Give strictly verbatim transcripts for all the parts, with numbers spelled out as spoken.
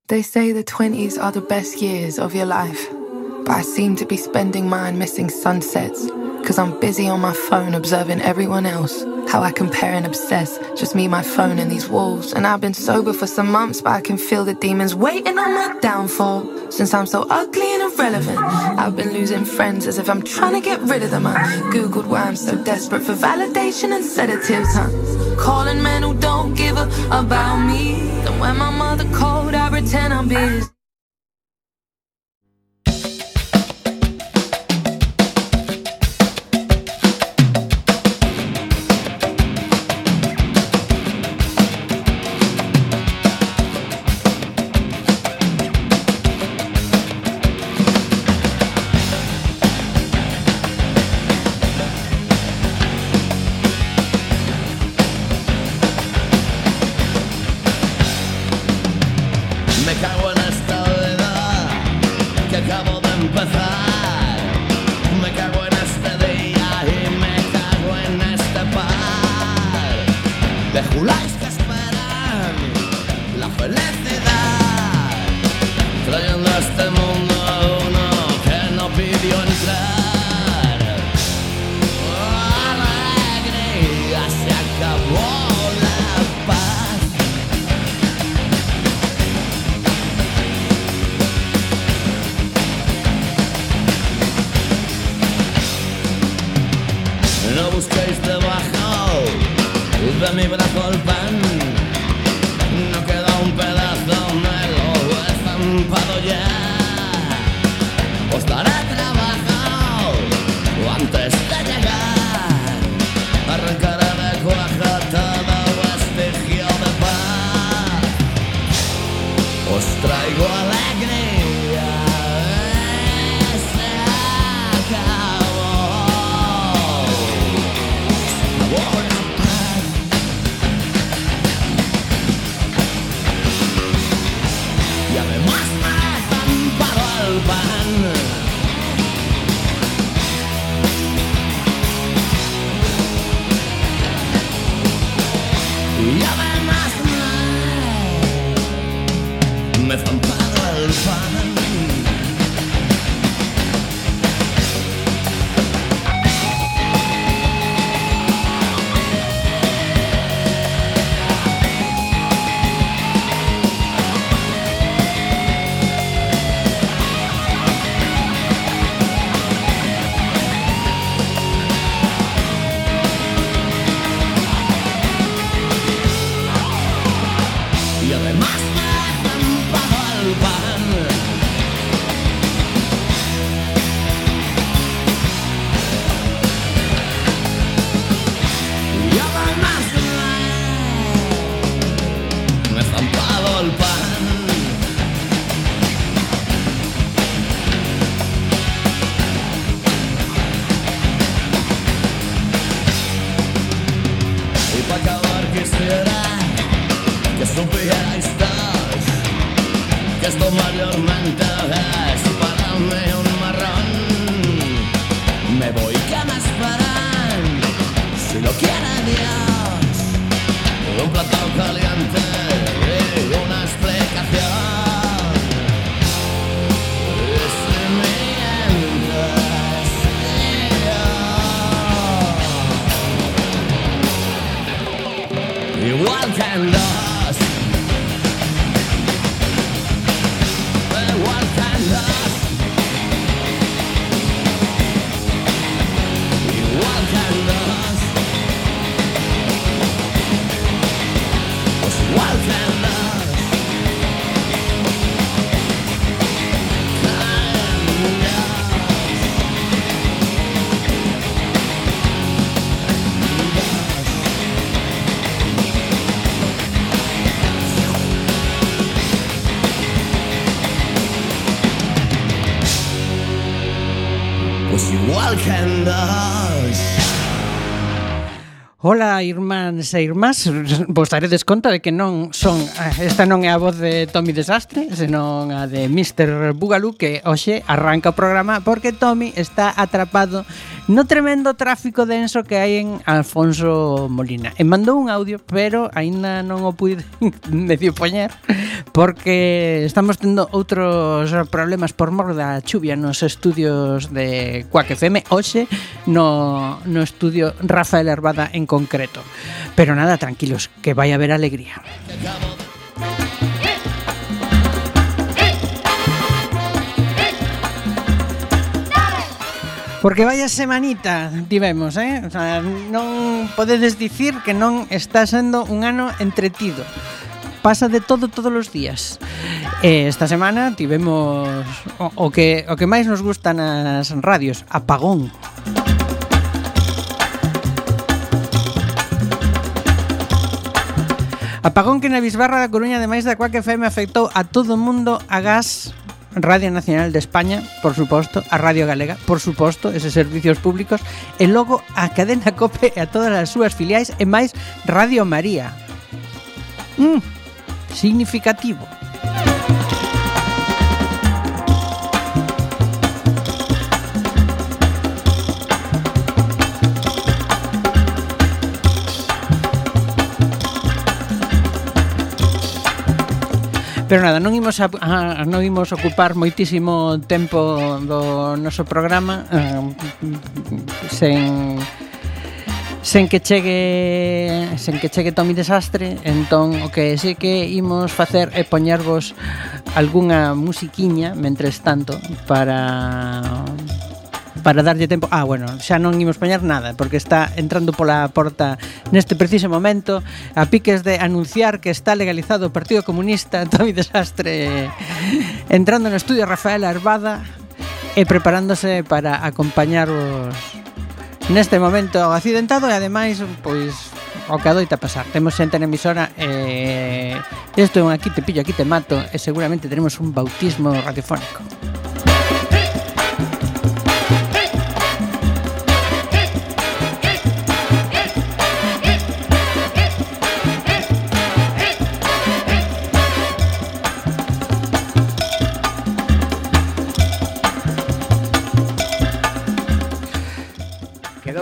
They say the twenties are the best years of your life, but I seem to be spending mine missing sunsets, cause I'm busy on my phone observing everyone else, how I compare and obsess, just me, my phone and these walls. And I've been sober for some months, but I can feel the demons waiting on my downfall. Since I'm so ugly and irrelevant, I've been losing friends as if I'm trying to get rid of them. I googled why I'm so desperate for validation and sedatives, huh? Calling men who don't give a about me. And when my mother called, I pretend I'm busy. Ola, irmáns e irmás, vos daredes conta de que non son, esta non é a voz de Tommy Desastre, senón a de mister Bugalú, que hoxe arranca o programa porque Tommy está atrapado no tremendo tráfico denso que hai en Alfonso Molina. E mandou un audio, pero aínda non o pude medio poñer porque estamos tendo outros problemas por mor da chuvia nos estudios de Quack F M, hoxe no, no estudio Rafael Herbada en concreto. Pero nada, tranquilos, que vai haber alegría. Porque vaya semanita tivemos, eh? O sea, non podedes dicir que non está sendo un ano entretido. Pasa de todo todos os días. Eh, esta semana tivemos o, o que o que máis nos gusta nas radios, apagón. Apagón que na Bisbarra da Coruña, ademais da Quack F M, afectou a todo o mundo, a Gas, Radio Nacional de España, por suposto, a Radio Galega, por suposto, eses servicios públicos, e logo a cadena COPE e a todas as súas filiais, e máis Radio María. Mm, significativo. Pero nada, non imos a, a, non imos ocupar moitísimo tempo do noso programa eh, sen sen que chegue sen que chegue Tommy Desastre. Entón o que sí que imos facer é poñervos algunha musiquiña mentres tanto para para darlle tempo. Ah, bueno, xa non imos poñer nada porque está entrando pola porta neste preciso momento a piques de anunciar que está legalizado o Partido Comunista. Tommy Desastre entrando no estudio Rafael Herbada e preparándose para acompañarvos neste momento accidentado e ademais, pois, o que adoita pasar. Temos xente na emisora e isto é un aquí te pillo, aquí te mato e seguramente teremos un bautismo radiofónico.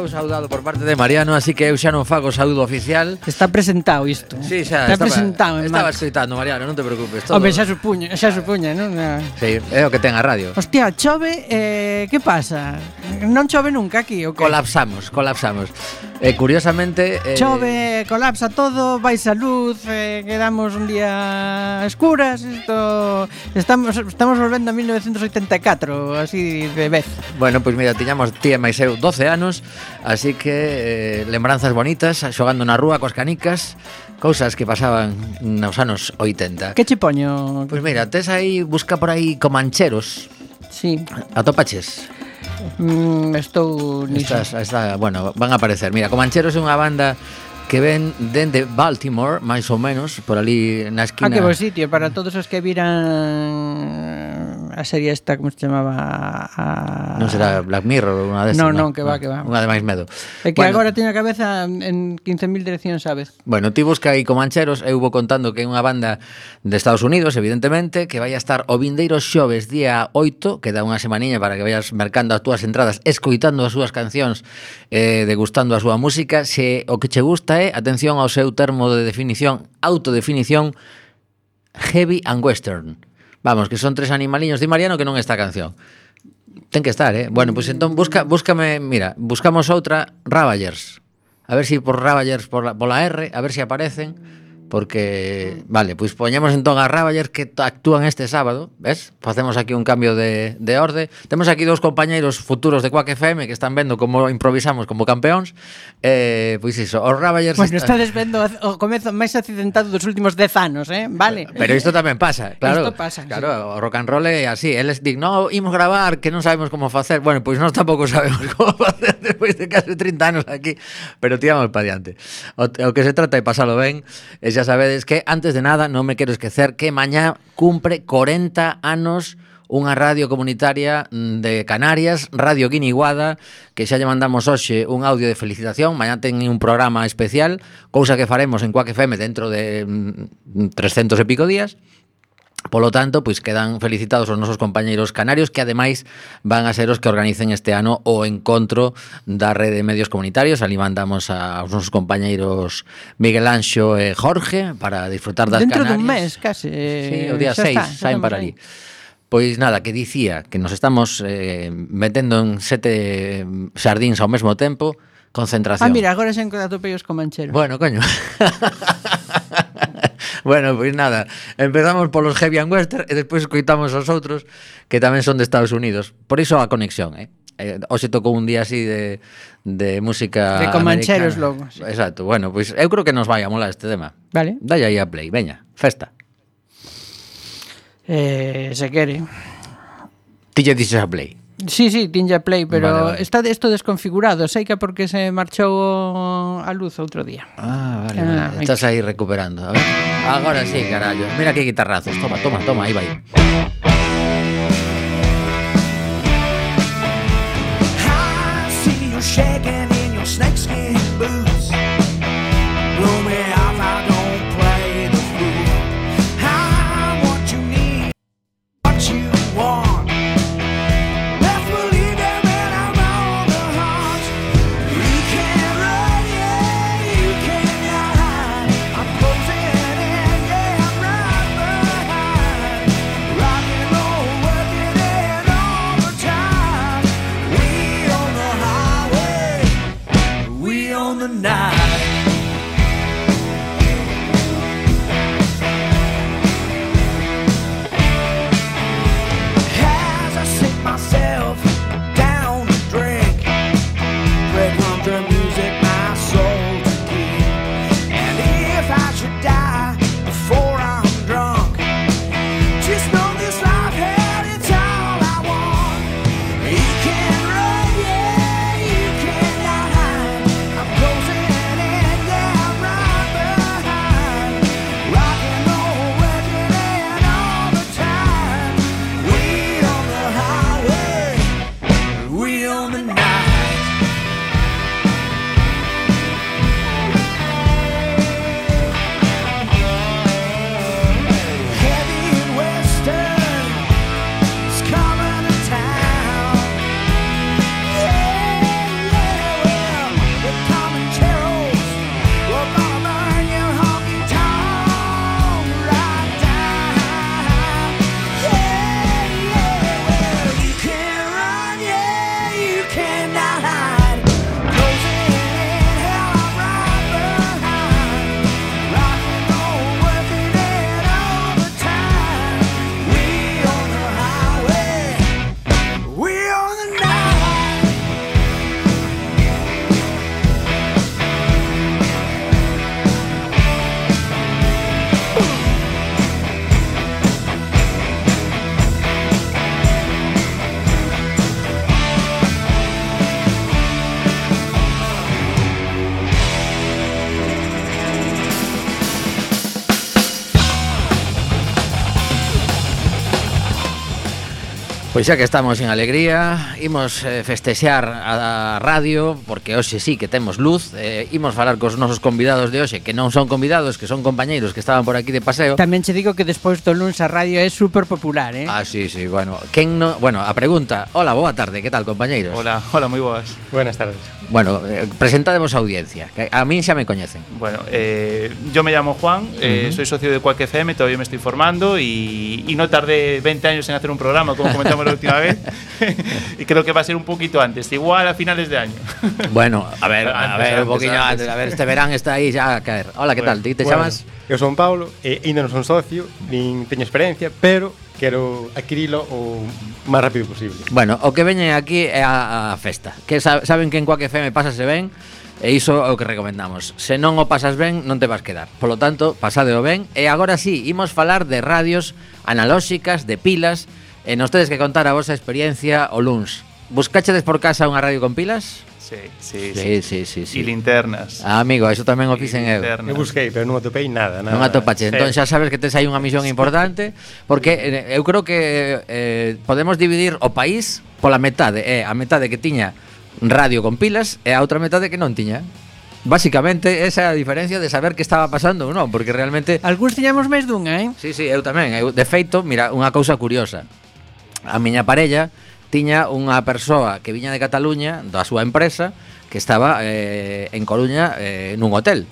Saudado por parte de Mariano, así que eu xa non fago saúdo oficial. Está presentado isto. Sí, xa está estaba, presentado. Estaba escoitando, Mariano, non te preocupes. Todo... Hombre, xa supuña, xa supuña, non? Sí, é o que ten a radio. Hostia, chove, eh, que pasa? Non chove nunca aquí, o que? Colapsamos, colapsamos. Eh, curiosamente... Eh... Chove, colapsa todo, vais a luz, eh, quedamos un día a escuras, isto... Estamos, estamos volvendo a mil novecientos oitenta e catro, así de vez. Bueno, pois pues mira, tiñamos tía máis eu doce anos, así que eh, lembranzas bonitas, xogando na rúa coas canicas, cousas que pasaban nos anos oitenta. Que che poño? Pois pues mira, tes aí, busca por aí Comancheros. Sí. Atopaches? Mm, estou niso. Estas, esta, bueno, van a aparecer. Mira, Comancheros é unha banda que ven dende Baltimore, máis ou menos, por ali na esquina. Ah, que bo sitio, para todos os que viran a serie esta, como se chamaba? A... Non será Black Mirror, unha desas. Non, non, que va, que va. Unha de máis medo. É que bueno, agora teño a cabeza en quince mil direccións, sabes? Bueno, ti busca aí Comancheros, eu vou contando que é unha banda de Estados Unidos, evidentemente, que vai a estar o vindeiro xoves día oito, que dá unha semaniña para que vayas mercando as túas entradas, escoitando as súas cancións, eh, degustando a súa música. Se o que che gusta é, atención ao seu termo de definición, autodefinición, heavy and western. Vamos, que son tres animaliños de Mariano que non esta canción. Ten que estar, eh? Bueno, pois pues entón busca, búscame, mira, buscamos outra, Ravagers. A ver si por Ravagers por la, por la R, a ver si aparecen. Porque, vale, pois poñemos entón a Ravagers que actúan este sábado, ves? Facemos aquí un cambio de, de orde. Temos aquí dous compañeiros futuros de Quack F M que están vendo como improvisamos como campeóns. Eh, pois iso, os Ravagers... Bueno, está... estades vendo o comezo máis accidentado dos últimos dez anos, eh? Vale. Pero isto tamén pasa, claro. Isto pasa, claro, sí. O rock and roll é así. Eles dig, no, imos gravar, que non sabemos como facer. Bueno, pois nós tampouco sabemos como facer despois de case trinta anos aquí, pero tiramos para diante. O, o que se trata é pasalo ben. E xa sabedes que, antes de nada, non me quero esquecer que mañá cumpre corenta anos unha radio comunitaria de Canarias, Radio Guiniguada, que xa lle mandamos hoxe un audio de felicitación. Mañá ten un programa especial, cousa que faremos en Quack F M dentro de trescentos e pico días. Polo tanto, pois quedan felicitados os nosos compañeiros canarios que ademais van a ser os que organicen este ano o encontro da Rede de Medios Comunitarios. Ali mandamos aos nosos compañeiros Miguel Anxo e Jorge para disfrutar das Dentro Canarias. Dentro dun mes, case. Sí, o día seis saen para ali. Pois nada, que dicía que nos estamos eh, metendo en sete xardíns ao mesmo tempo, concentración. Ah, mira, agora xa atopei os comancheros. Bueno, coño. Bueno, pois nada, empezamos polos Heavy and Western e despois escoitamos os outros que tamén son de Estados Unidos. Por iso a conexión, eh? eh hoxe tocou un día así de, de música de comancheros americana. Logo, sí. Exacto, bueno, pois eu creo que nos vai a molar este tema. Vale. Dalle aí a play, veña, festa. Eh, se quere. Ti lle dixes a play. Sí, sí, tinha play, pero vale, vale. Está isto desconfigurado. Sei que porque se marchou a luz outro día. Ah, vale, ah, vale. Estás aí recuperando. A ver. Agora sí, carallo. Mira que guitarrazos. Toma, toma, toma, aí vai. I see you shaking in your snakeskin boots. Blow me off, I don't play the fool. I want you need, what you want. Pois xa que estamos en alegría, imos eh, festexar a radio, porque hoxe sí que temos luz, eh, imos falar cos nosos convidados de hoxe, que non son convidados, que son compañeiros que estaban por aquí de paseo. Tamén che digo que despois do luns a radio é super popular, eh? Ah, sí, sí, bueno, quen no, bueno, a pregunta, hola, boa tarde, que tal, compañeiros? Hola, hola, moi boas. Buenas tardes. Bueno, eh, presentademos a audiencia, que a min xa me coñecen. Bueno, eh, yo me llamo Juan, eh, uh-huh. soy socio de Quack F M, todavía me estoy formando y, y no tardé veinte años en hacer un programa, como comentamos la última vez, y creo que va a ser un poquito antes, igual a finales de año. Bueno, a ver, a antes, ver, antes, un poquinho antes, antes. a ver, este verán está aí xa a caer. Hola, que Bueno, tal? Ti te Bueno, chamas? Eu son Paulo e ainda non son socio, nin teño experiencia, pero quero adquirilo o máis rápido posible. Bueno, o que veñen aquí é a, a festa. Que sa- saben que en Quack F M pásase ben, e iso é o que recomendamos. Se non o pasas ben, non te vas quedar. Polo tanto, pasadeo ben. E agora sí, imos falar de radios analóxicas, de pilas, e nos tedes que contar a vosa experiencia o luns. Buscachedes por casa unha radio con pilas? Sí, sí, Sí, sí, sí, sí. Y linternas. Ah, amigo, eso tamén o fixen eu. Linternas. Eu busquei, pero non atopei nada, nada. Non atopache, entón Sí. xa sabes que tes aí unha misión importante, porque eh, eu creo que eh, podemos dividir o país pola metade, é a metade que tiña radio con pilas e a outra metade que non tiña. Básicamente, esa é a diferencia de saber que estaba pasando ou non, porque realmente... Algúns tiñamos máis dunha, eh? Sí, sí, eu tamén. Eu, de feito, mira, unha cousa curiosa. A miña parella tiña unha persoa que viña de Cataluña, da súa empresa, que estaba eh, en Coruña eh, nun hotel.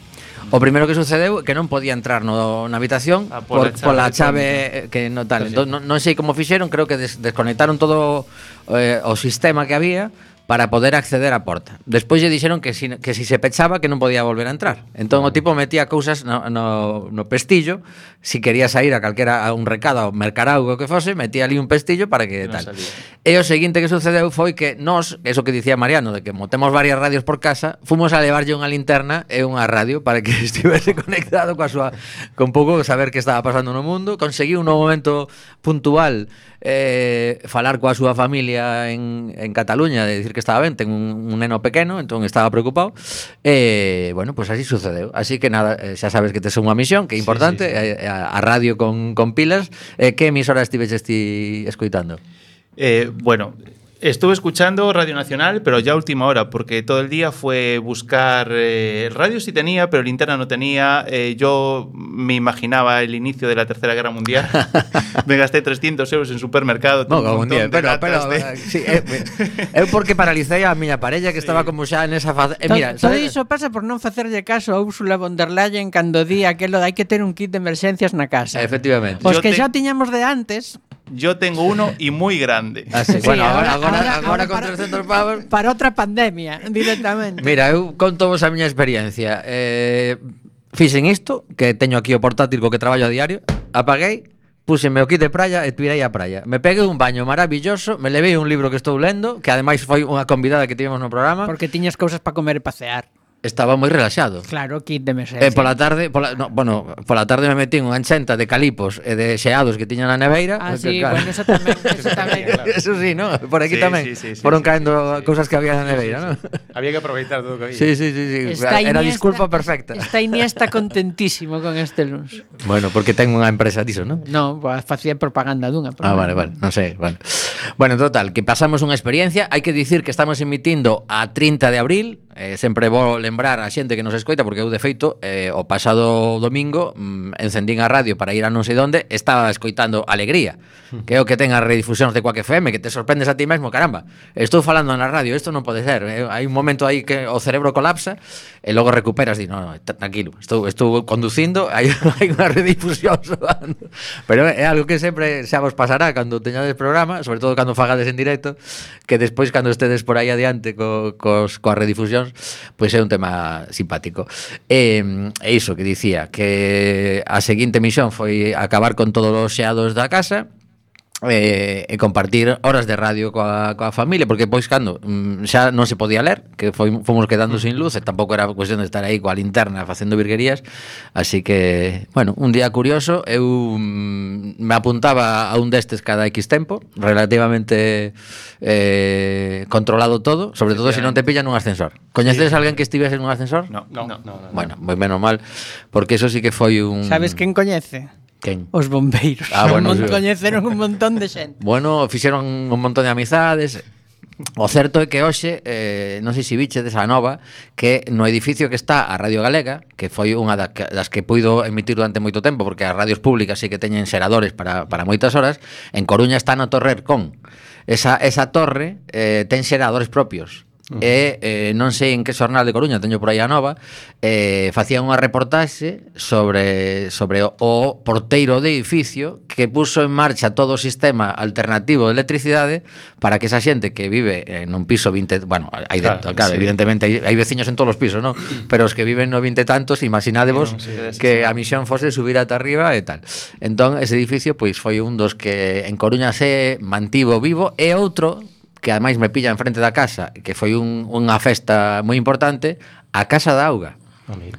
O primeiro que sucedeu é que non podía entrar no, na habitación Ah, por, pola pola chave chave que non tal. Sí. Entón, non, non sei como fixeron, creo que des, desconectaron todo eh, o sistema que había para poder acceder á porta. Despois lle dixeron que si, que si se pechaba que non podía volver a entrar. Entón o tipo metía cousas no, no, no pestillo, si quería sair a calquera a un recado, a mercar algo que fose, metía ali un pestillo para que Non tal. salía. E o seguinte que sucedeu foi que nós, eso que dicía Mariano, de que motemos varias radios por casa, fomos a levarlle unha linterna e unha radio para que estivese conectado coa súa, con pouco saber que estaba pasando no mundo. Conseguiu no momento puntual eh, falar coa súa familia en, en Cataluña, de dicir que estaba ben, ten un, un neno pequeno, entón estaba preocupado. E, bueno, pues así sucedeu. Así que nada, eh, xa sabes que tes unha misión que é importante, Sí, sí, sí. eh, a, a radio con, con pilas. Eh, que emisora estiveches ti escoitando? Eh, bueno, estuve escuchando Radio Nacional, pero ya a última hora, porque todo el día fue buscar eh, radio sí tenía, pero linterna no tenía. Eh, yo me imaginaba el inicio de la Tercera Guerra Mundial. Me gasté trescientos euros en supermercado. No, un un montón día, de pero, latas pero de- eh, sí, eh, eu porque paralicei a miña parella que estaba como xa nesa fase. Eh, mira, todo sabes- iso pasa por non facerlle caso a Úrsula von der Leyen cando di aquelo de hai que ter un kit de emerxencias na casa. Efectivamente. Os Yo que te- xa tiñamos de antes, Yo tengo uno y muy grande. Ah, sí. Sí, Bueno, agora, ahora- agora, ahora- agora ahora con para- trescentos pavos. para outra pandemia, directamente. Mira, eu conto vos a miña experiencia. Eh, fixen isto, que teño aquí o portátil co que traballo a diario, apaguei, puseme o kit de praia e tirei a praia. Me peguei un baño maravilloso, me levei un libro que estou lendo, que ademais foi unha convidada que tivemos no programa. Porque tiñas cousas para comer e pasear. Estaba moi relaxado. Claro, kit de emerxencia. E pola tarde, pola, no, bueno, pola tarde me metí unha enchenta de calipos e de xeados que tiña na neveira. Ah, que, sí, claro. bueno, eso tamén, eso tamén. Eso sí, ¿no? Por aquí Sí, tamén sí, sí, sí, foron sí, caendo sí, sí. cousas que había na neveira, ¿no? Había que aproveitar todo o que había. Sí, sí, sí, sí. Está Era Iniesta- disculpa perfecta. Está Iniesta contentísimo con este luns. Bueno, porque ten unha empresa diso, ¿no? No, pues, facía propaganda dunha. pero Ah, non. vale, vale, non sei, vale. Bueno, total, que pasamos unha experiencia. Hai que dicir que estamos emitindo a trinta de abril. eh, Sempre vou lembrar a xente que nos escoita, porque eu de feito eh, o pasado domingo mm, encendín a radio para ir a non sei donde. Estaba escoitando Alegría, que é o que ten as redifusións de Quack F M, que te sorprendes a ti mesmo. Caramba, estou falando na radio, isto non pode ser. eh, Hai un momento aí que o cerebro colapsa e logo recuperas e di, no, no, t- tranquilo, estou, estou conducindo, hai, hai unha redifusión soando. Pero é algo que sempre xa vos pasará cando teñades programa, sobre todo cando fagades en directo, que despois cando estedes por aí adiante co, cos, coas redifusións, pois é un tema simpático. E, e iso que dicía, que a seguinte misión foi acabar con todos os xeados da casa, eh, e compartir horas de radio coa, coa familia, porque pois cando mm, xa non se podía ler, que foi, fomos quedando sin luz, e tampouco era cuestión de estar aí coa linterna facendo virguerías. Así que, bueno, un día curioso. Eu mm, me apuntaba a un destes cada X tempo, relativamente eh, controlado todo, sobre todo se non te pillan nun ascensor. Coñeces Sí. alguén que estivese nun ascensor? No, No, no. no, no. Bueno, moi menos mal, porque eso sí que foi un... Sabes quen coñece? Quen? Os bombeiros. Ah, bueno, Mon- sí. Coñeceron un montón de xente. Bueno, fixeron un montón de amizades. O certo é que hoxe, eh, non sei se biche desa nova, que no edificio que está a Radio Galega, que foi unha da- das que puido emitir durante moito tempo, porque as radios públicas sí que teñen xeradores para, para moitas horas, en Coruña está na Torre Ercón. Esa, esa torre eh, ten xeradores propios. Uh -huh. E eh, non sei en que xornal de Coruña, teño por aí a nova, eh, facían unha reportaxe sobre, sobre o, o porteiro de edificio que puso en marcha todo o sistema alternativo de electricidade para que esa xente que vive en un piso vinte, bueno, hai Claro, dentro, claro, sí. evidentemente hai, hai veciños en todos os pisos, ¿no? Pero os que viven no vinte tantos, imaginadevos Sí, non, sí, que sí. a misión fose subir ata arriba e tal. Entón, ese edificio pois foi un dos que en Coruña se mantivo vivo, e outro que ademais me pilla en frente da casa, que foi un, unha festa moi importante, a Casa da Auga.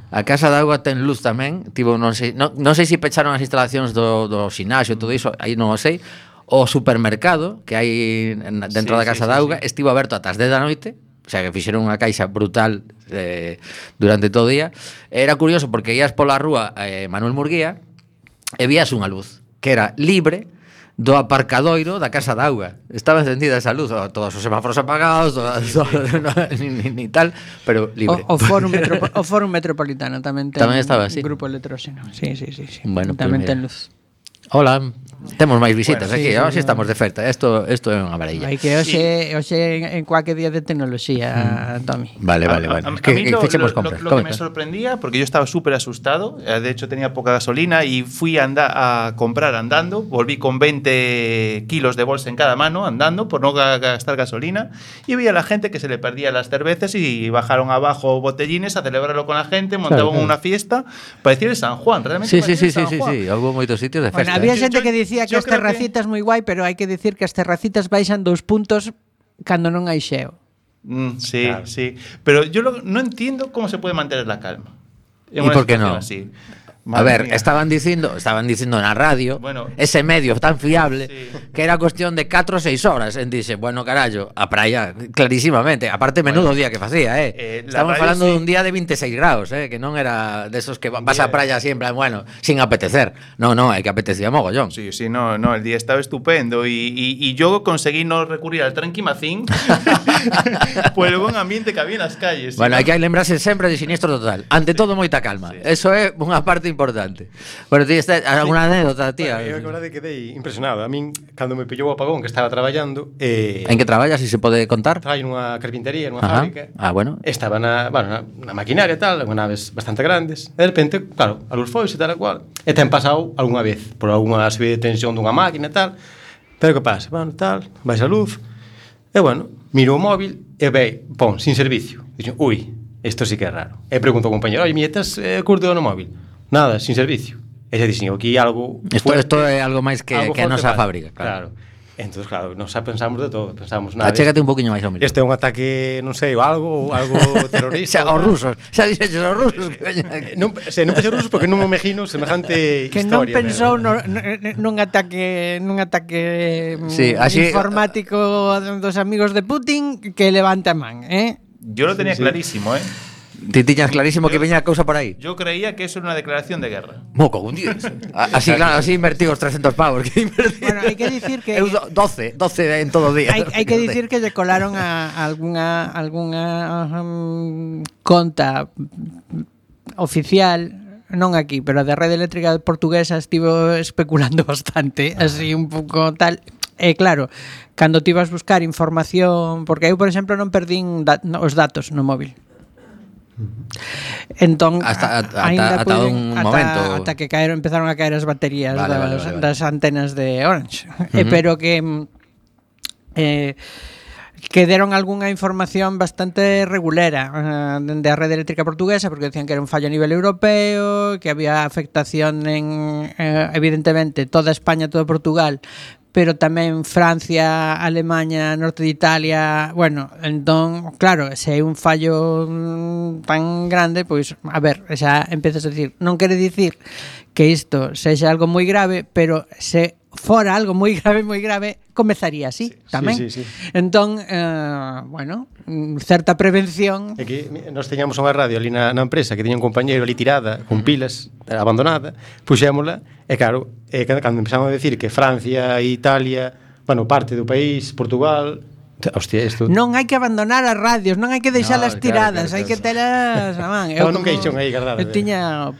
A Casa da Auga ten luz tamén, tivo non sei, non, non sei se pecharon as instalacións do, do xinasio e todo iso, aí non o sei. O supermercado que hai en- dentro Sí, da sí, Casa sí, da Auga sí. estivo aberto ata as dez da noite, o sea que fixeron unha caixa brutal eh, durante todo o día. Era curioso porque ías pola rúa eh, Manuel Murguía e vías unha luz que era libre do aparcadoiro da Casa da Auga. Estaba encendida esa luz, todos os semáforos apagados, todas, todas, no, ni, ni, ni tal, pero libre. O, o, Fórum Metropo, o Fórum Metropolitano tamén ten tamén estaba así. Un grupo electróxeno. Sí, sí, sí, sí. Bueno, tamén pues ten luz. Hola, temos máis visitas Bueno, aquí, sí, ahora sí, sí estamos de oferta. Isto isto é unha varilla. Hai que hoxe, hoxe en, en cualquier día de tecnoloxía, mm. Tommy. Vale, vale, vale. A, a, Es que, a mí que lo, fechemos lo, compras. lo, lo que me sorprendía, porque yo estaba súper asustado, eh, de hecho tenía poca gasolina y fui a, anda, a comprar andando, volví con veinte kilos de bolsa en cada mano andando por no ga- gastar gasolina y vi a la gente que se le perdía las cervezas y bajaron abajo botellines a celebrarlo con la gente, montaban Claro, claro. una fiesta, parecía el San Juan, realmente Sí, sí, parecía sí, el sí, San sí, Juan. sí, hubo moitos sitios de Bueno, festa. había eh. xente Yo- que dicía que yo as creo que- terracitas moi guai, pero hai que dicir que as terracitas baixan dous puntos cando non hai xeo. Mm, sí, Claro. sí. Pero yo lo- no entiendo cómo se puede mantener la calma. en ¿Y una por qué situación no? así. A Madre ver, mía. estaban dicindo, estaban dicindo na radio, Bueno. ese medio tan fiable, Sí. que era cuestión de catro ou seis horas. En dice, bueno, carallo, a praia, clarísimamente. Aparte, menudo Bueno, día que facía, eh. eh, la Estamos radio falando sí. de un día de veintiséis grados, eh, que non era de esos que va- vas a praia siempre, bueno, sin apetecer. No, no, hai que apetecía mogollón. Sí, sí, no, no, el día estaba estupendo y, y, y yo conseguí no recurrir al tranquimacín por el buen ambiente que había en las calles. Bueno, ¿sí? hai que lembrarse sempre de Siniestro Total. Ante todo, moita calma. Sí. Eso é unha parte importante. Bueno, ti está alguna anécdota, tía? Bueno, eu que verdade quedei impresionado. A min, cando me pillou o apagón que estaba traballando, eh, En que traballas, se si se pode contar? traballo nunha carpintería, nunha Ajá. fábrica. Ah, bueno. Estaba na, bueno, na, na maquinaria e tal, unhas naves bastante grandes. E de repente, claro, a luz foi e tal e cual. E ten pasado algunha vez por algunha subida de tensión dunha máquina e tal. Pero que pasa? Bueno, tal, vais a luz. E bueno, miro o móvil e ve, pon, sin servicio. Dixo, ui, isto sí que é raro. E pregunto ao compañero, oi, mietas eh, curto no móvil? Nada, sin servicio. E xa dixen, aquí algo Isto, fuerte, isto é algo máis que, algo que a forte nosa pasa. fábrica, claro. Claro. Entón, claro, nos pensamos de todo. Pensamos, nada, Achégate un poquinho máis ao micro. este é un ataque, non sei, ou algo, algo terrorista. Xa, os rusos, xa dixeches os rusos que veñen aquí. Eh, non, se, non pensei rusos porque non me imagino semejante Que non historia. pensou no, no, nun ataque nun ataque mm, Sí, así- informático dos amigos de Putin que levanta a man, eh? Yo lo tenía Sí, sí. clarísimo, ¿eh? Ti tiñas clarísimo que veña a cousa por aí. Yo creía que eso era una declaración de guerra. Moco, un día. Así, claro, así invertí os trescentos pavos que invertí. Bueno, hai que dicir que Eu do- doce, doce en todo o día. hai, hai que dicir que lle colaron a, a algunha algunha um, conta oficial, non aquí, pero a da Rede Eléctrica Portuguesa estivo especulando bastante, así un pouco tal. E claro, cando ti vas buscar información, porque eu, por exemplo, non perdín da, no, os datos no móvil. Entón, Hasta- ata- aínda ata puiden- un ata, momento. ata que caeron, empezaron a caer as baterías Vale, das, vale, vale, vale. das antenas de Orange. Uh-huh. Eh, pero que mm, eh, que deron algunha información bastante regulera uh, de a Rede Eléctrica Portuguesa, porque decían que era un fallo a nivel europeo, que había afectación en, eh, evidentemente, toda España, todo Portugal, pero tamén Francia, Alemanha, norte de Italia. Bueno, entón, claro, se é un fallo mm, tan grande, pois, a ver, xa empezas a dicir, non quere dicir que isto sexa algo moi grave, pero se fora algo moi grave, moi grave, comezaría así, Sí, tamén. sí, sí, sí. Entón, eh, bueno, mm, certa prevención. É que nós teñamos unha radio ali na, na empresa que tiña un compañeiro ali tirada, con pilas, abandonada, puxémola, e claro, e cando, cando empezamos a decir que Francia, Italia, bueno, parte do país, Portugal, hostia, isto... Non hai que abandonar as radios, non hai que deixalas No, claro, tiradas, claro, hai que claro. telas, a man. Estaba nun caixón aí guardado, Eu eh. tiña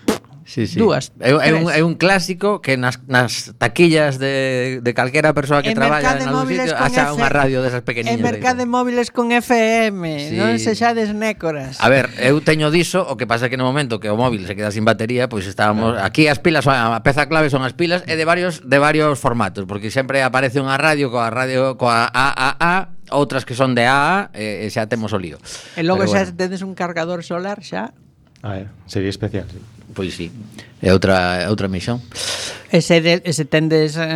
Sí, sí. dúas, É, é, un, tres. é un clásico que nas, nas taquillas de, de calquera persoa que En traballa Mercade en algún Móviles sitio con haxa F- unha radio desas En pequeniñas. Mercade de- Móviles con F M, Sí. non sexades nécoras. A ver, eu teño diso, o que pasa é que no momento que o móvil se queda sin batería, pois estábamos aquí as pilas, a peza clave son as pilas e de varios de varios formatos, porque sempre aparece unha radio coa radio coa A A A, outras que son de A A e, e xa temos o lío. E logo Pero xa bueno, tedes un cargador solar xa. Ah, é, sería especial, sí. pois sí. É outra é outra misión. Ese, de, ese tendes eh,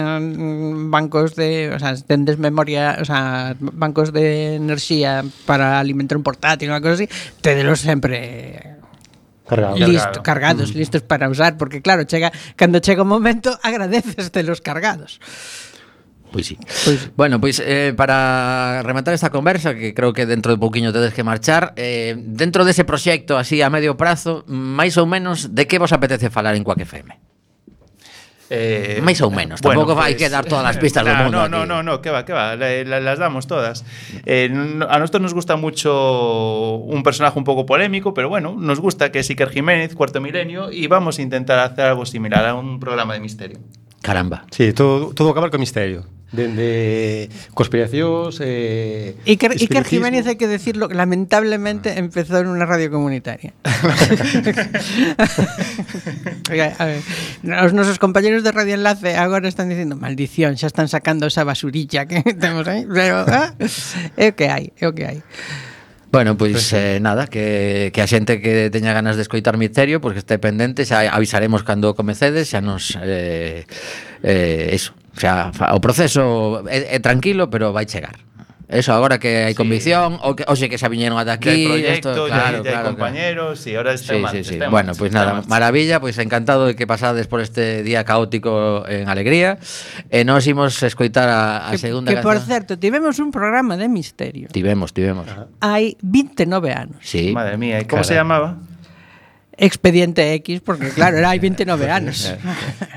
bancos de, o sea, tendes memoria, o sea, bancos de enerxía para alimentar un portátil, unha cosa así, tedelos sempre Cargado. listo, cargados, listos para usar, porque claro, chega cando chega o momento agradeces de los cargados. Pois sí. Pois- Bueno, pois eh, para rematar esta conversa, que creo que dentro de pouquiño tedes que marchar, eh, dentro dese proxecto así a medio prazo, máis ou menos de que vos apetece falar en Quack F M? Eh, Máis ou menos, bueno, tampouco vai pues, que dar todas as pistas do no, mundo No, aquí. no, no, no, que va, que va, la- la- las damos todas. Eh, no- a nosotros nos gusta mucho un personaje un poco polémico, pero bueno, nos gusta que es Iker Jiménez, Cuarto Milenio, y vamos a intentar hacer algo similar a un programa de misterio. Caramba. Sí, todo, todo acabar con misterio. Dende conspiracións, eh, Iker, Iker espiritismo. Jiménez, hay que decirlo, lamentablemente empezó en una radio comunitaria. Oiga, a ver, os nosos compañeros de Radio Enlace agora están dicindo maldición, xa están sacando esa basurilla que temos aí. Pero, ah, é o que hai, é o que hai. Bueno, pois eh, nada, que, que a xente que teña ganas de escoitar misterio, pois que este pendente, xa avisaremos cando comecedes, xa nos eh, eh, eso, xa fa- o proceso é, é tranquilo, pero vai chegar. Eso, agora que hai Sí. convicción, o que hoxe que xa viñeron ata Ya hay aquí, proyecto, esto, ya, claro, hay- ya hay claro, compañeros, y ahora está Sí, en marcha, sí, sí. está en Bueno, marcha, pues está en nada, marcha. maravilla, pues encantado de que pasades por este día caótico en alegría. E nos imos escoitar a, a Que, segunda que por canción. certo, tivemos un programa de misterio. Tivemos, tivemos. Hai veintinueve anos. Sí. Madre mía, ¿y cómo Carai. se llamaba? Expediente X, porque claro, era hai veintinueve anos.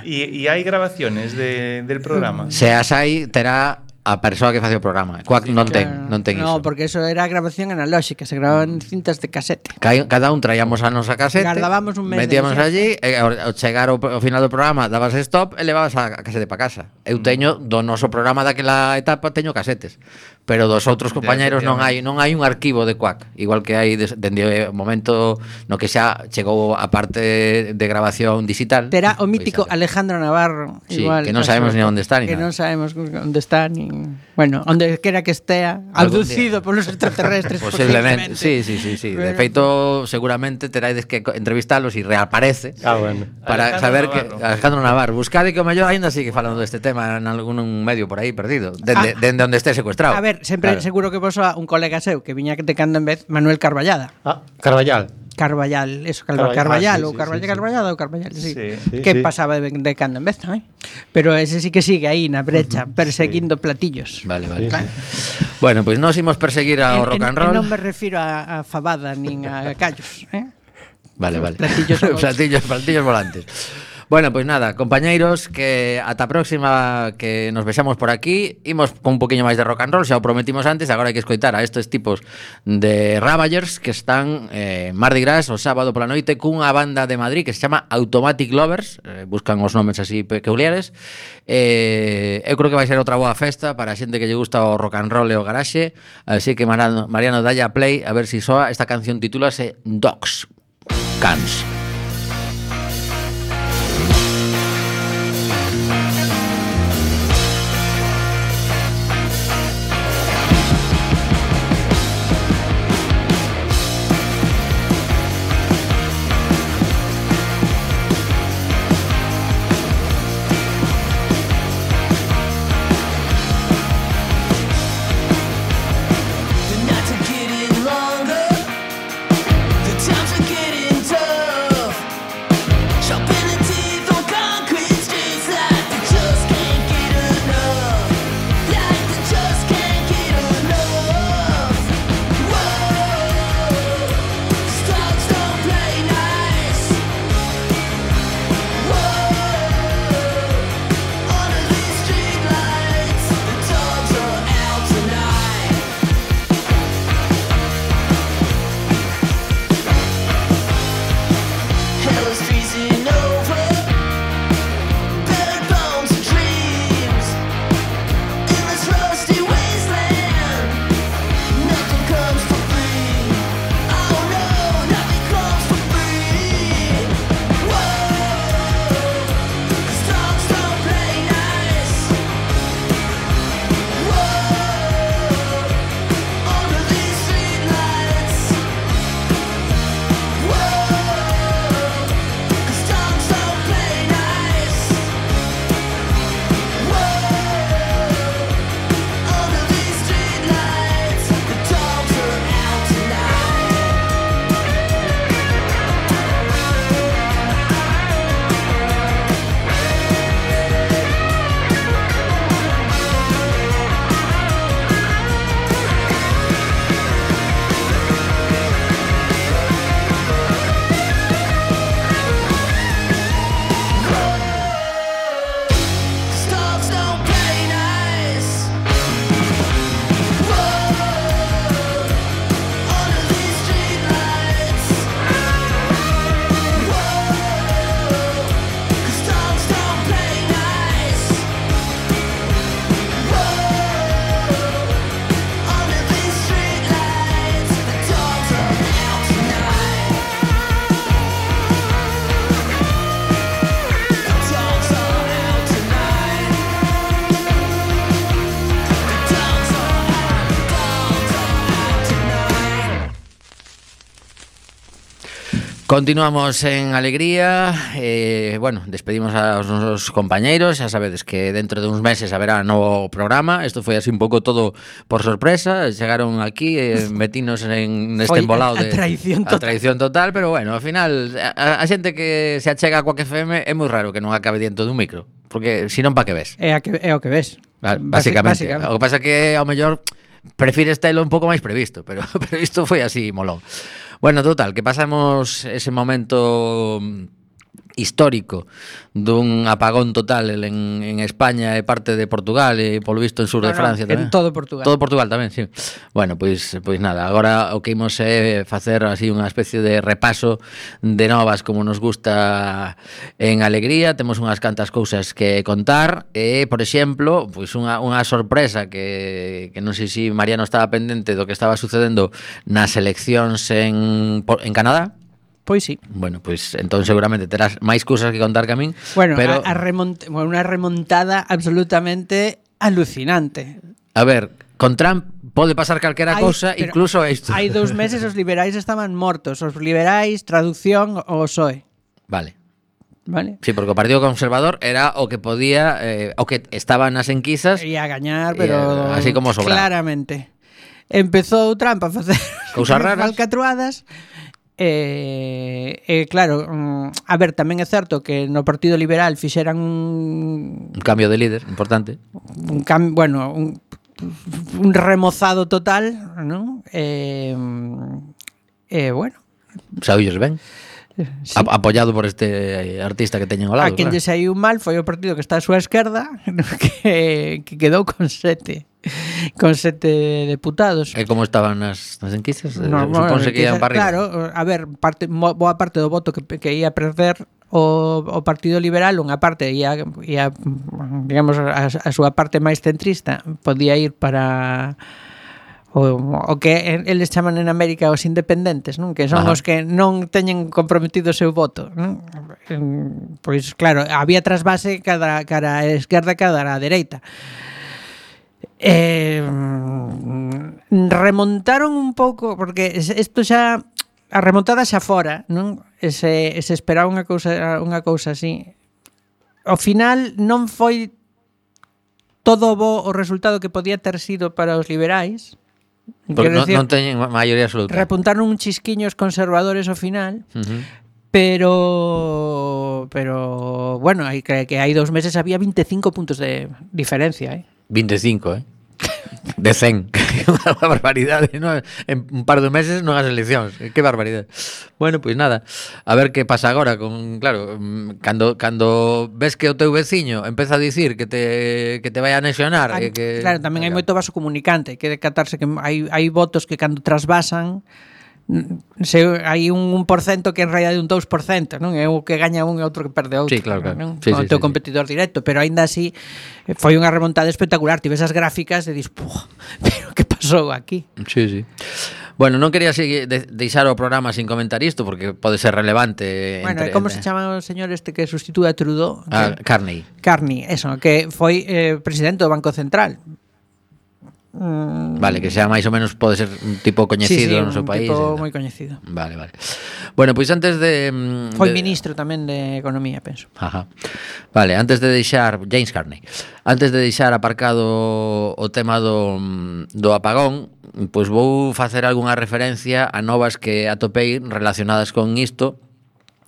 ¿Y, y hay grabaciones de- del programa? Se as hai, terá a persoa que facía o programa. Cuac non ten, non ten No, iso. porque eso era grabación analóxica, se grababan cintas de casete. Ca- Cada un traíamos a nosa casete, Gardábamos un mes de metíamos licencia. allí, e ao ao chegar ao, ao final do programa dabas stop e levabas a, a casete para casa. Eu teño do noso programa daquela etapa teño casetes, pero dos outros compañeros non hai non hai un arquivo de Quack, igual que hai des- dende o momento no que xa chegou a parte de grabación digital. Terá o pois mítico xa- Alejandro Navarro, Sí, igual. que non sabemos ni onde está ni Que nada. non sabemos onde está ni, bueno, onde quera que estea, Algún abducido polos extraterrestres. Posiblemente, sí, sí, sí, sí. De Pero- feito, seguramente teraides que co- entrevistalos e reaparece. Ah, bueno. Para Alejandro saber Navarro. que Alejandro Navarro, buscade que o mellor aínda sigue falando deste tema en algún medio por aí perdido, dende, Ah. dende onde esté secuestrado. A ver, sempre Claro. seguro que vos soa un colega seu que viña de cando en vez, Manuel Carballada. Ah, Carballal. Carballal, eso, Carva- Carballal, Carballal, ah, sí, ou sí, Carballal, sí, sí. Carballada ou Carballal, sí. Sí, sí, que sí. pasaba de, de cando en vez tamén. Pero ese sí que sigue aí na brecha, perseguindo platillos. Vale, vale. Sí, Bueno, pois pues nos imos perseguir ao En- rock en- and roll. e non me refiro a, a fabada nin a callos, eh? Vale, vale. Platillos volantes. platillos, platillos volantes. Bueno, pois pues nada, compañeiros, que ata a próxima que nos vexamos por aquí. Imos con un poquinho máis de rock and roll, xa o prometimos antes, agora hai que escoitar a estes tipos de Ravagers que están eh, en Mardi Gras o sábado pola noite cunha banda de Madrid que se chama Automatic Lovers, eh, buscan os nomes así peculiares. Eh, eu creo que vai ser outra boa festa para a xente que lle gusta o rock and roll e o garaxe, así que Mariano, Mariano dalla play a ver si soa. Esta canción titúlase Dogs, Cans. The nights are getting longer, the times are getting tough. Continuamos en alegría. eh, Bueno, despedimos aos nosos compañeiros. Xa sabedes que dentro de uns meses haberá novo programa. Isto foi así un pouco todo por sorpresa. Chegaron aquí, eh, metinos en neste Foi embolado a- a de traición a total. traición total. Pero bueno, ao final a, a xente que se achega a Quack F M é moi raro que non acabe dentro dun micro, porque senón pa que ves. É, a que, é o que ves. Ba- Basi- Básicamente. O que pasa é que ao mellor prefires telo un pouco máis previsto, pero, pero isto foi así molón. Bueno, total, que pasamos ese momento histórico dun apagón total en, en España e parte de Portugal e polo visto en sur de No, no, Francia en tamén. todo Portugal. Todo Portugal tamén, sí. Bueno, pois pois nada, agora o que imos é facer así unha especie de repaso de novas como nos gusta en Alegría. Temos unhas cantas cousas que contar e, por exemplo, pois unha, unha sorpresa que, que non sei se Mariano estaba pendente do que estaba sucedendo nas eleccións en, en Canadá. Pois sí. Bueno, pois entón seguramente terás máis cousas que contar que a min. Bueno, pero a, a remont bueno, unha remontada absolutamente alucinante. a ver, con Trump pode pasar calquera Hai- cousa, pero incluso isto. Hai dous meses os liberais estaban mortos. Os liberais, traducción, o P S O E. Vale. Vale? Sí, porque o Partido Conservador era o que podía, eh, o que estaba nas enquisas. Ia gañar, pero Eh, así como sobraba. claramente. Empezou Trump a facer Cousas raras. falcatruadas. E, e claro, mm, a ver, tamén é certo que no Partido Liberal fixeran un, Un cambio de líder importante. un cam, bueno, un, un remozado total, ¿no? E, e bueno, Saúlles ben. sí. A- apoyado por este artista que teñen ao lado. A quen claro. lle saiu mal foi o partido que está á súa esquerda, que, que quedou con sete con sete deputados. E como estaban nas, nas enquisas? No, Suponse que ian para arriba. Claro, a ver, parte, mo- boa parte do voto que, que ia perder o, o Partido Liberal, unha parte ia, ia digamos, a, a súa parte máis centrista podía ir para o, o que eles chaman en América os independentes, non? Que son Ajá. os que non teñen comprometido o seu voto, non? En- Pois claro, había trasvase cada cara a esquerda, cada a dereita. Eh, remontaron un pouco porque isto xa a remontada xa fora, non? Ese, ese esperaba unha cousa unha cousa así. Ao final non foi todo bo o resultado que podía ter sido para os liberais. Porque Quero non, decir, non teñen maioría absoluta. repuntaron un chisquiños conservadores ao final, Uh-huh. pero pero bueno, hai que, que hai dous meses había veinticinco puntos de diferencia, eh. veinticinco, eh? De cen. Unha barbaridade, ¿no? En un par de meses non as eleccións. Que barbaridade. Bueno, pois pues nada. A ver que pasa agora con, claro, mm, cando cando ves que o teu veciño empeza a dicir que te que te vai a anexionar, Hai- e que Claro, tamén hai moito vaso comunicante, hai que decatarse que hai hai votos que cando trasvasan mm, se hai un un por cento que en realidade un dous por cento, non? É o que gaña un e outro que perde outro. Sí, claro, claro. Non? Sí, O sí, teu sí, sí. competidor directo, pero aínda así eh, foi unha remontada espectacular. Ti ves as gráficas e dis, "Pua, pero que pasou aquí?" Sí, sí. Bueno, non quería seguir, de, deixar o programa sin comentar isto porque pode ser relevante. Bueno, entre, e como entre... se chama o señor este que sustitúe a Trudeau? Ah, Que- Carney. Carney, eso, que foi eh, presidente do Banco Central. Mm, Vale, que sea máis ou menos pode ser un tipo coñecido no seu un país. tipo e tal. moi coñecido. Vale, vale. Bueno, pois antes de mm, Foi de- ministro tamén de Economía, penso. Ajá. Vale, antes de deixar James Carney. Antes de deixar aparcado o tema do do apagón, pois vou facer algunha referencia a novas que atopei relacionadas con isto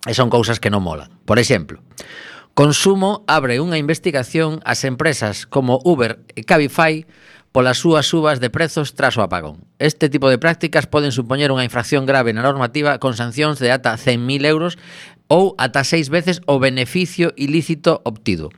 e son cousas que non molan. Por exemplo, Consumo abre unha investigación ás empresas como Uber e Cabify polas súas subas de prezos tras o apagón. Este tipo de prácticas poden supoñer unha infracción grave na normativa con sancións de ata cen mil euros ou ata seis veces o beneficio ilícito obtido.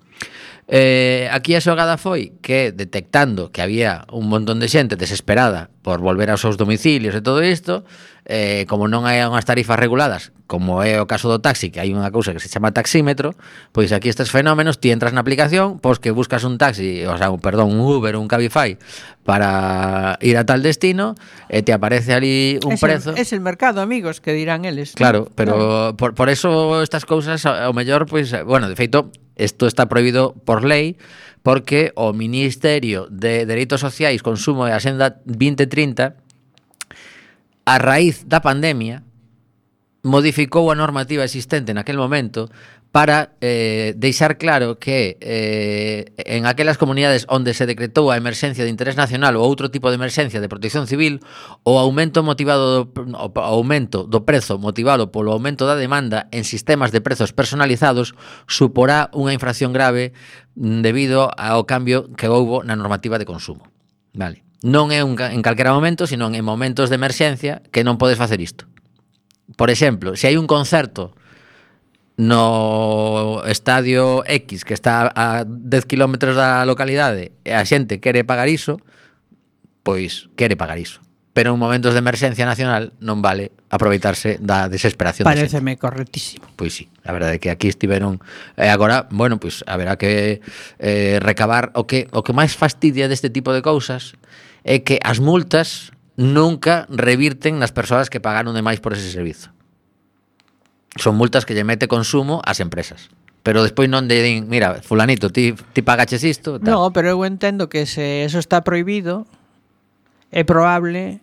Eh, aquí a xogada foi que, detectando que había un montón de xente desesperada por volver aos seus domicilios e todo isto, eh, como non hai unhas tarifas reguladas, como é o caso do taxi, que hai unha cousa que se chama taxímetro, pois aquí estes fenómenos, ti entras na aplicación, pois que buscas un taxi, o sea, un, perdón, un Uber ou un Cabify para ir a tal destino, e te aparece ali un es prezo. El, es el mercado, amigos, que dirán eles. Claro, ¿no? pero Claro. por, por eso estas cousas ao mellor, pois, bueno, de feito, isto está prohibido por lei porque o Ministerio de Dereitos Sociais, Consumo e Axenda vinte trinta, a raíz da pandemia, modificou a normativa existente naquel momento para eh, deixar claro que eh, en aquelas comunidades onde se decretou a emerxencia de interés nacional ou outro tipo de emerxencia de protección civil, o aumento motivado do, o aumento do prezo motivado polo aumento da demanda en sistemas de prezos personalizados suporá unha infracción grave debido ao cambio que houbo na normativa de consumo. Vale. Non é un, en calquera momento, sino en momentos de emerxencia que non podes facer isto. Por exemplo, se hai un concerto no estadio X que está a dez kilómetros da localidade e a xente quere pagar iso, pois quere pagar iso. Pero en momentos de emerxencia nacional non vale aproveitarse da desesperación da xente. Paréceme correctísimo. Pois sí, a verdade é que aquí estiveron e agora, bueno, pois haberá que eh, recabar o que o que máis fastidia deste tipo de cousas é que as multas nunca revirten nas persoas que pagaron de máis por ese servizo. Son multas que lle mete consumo ás empresas. Pero despois non de din, mira, fulanito, ti, ti pagaches isto. Tal. No, pero eu entendo que se eso está prohibido, é probable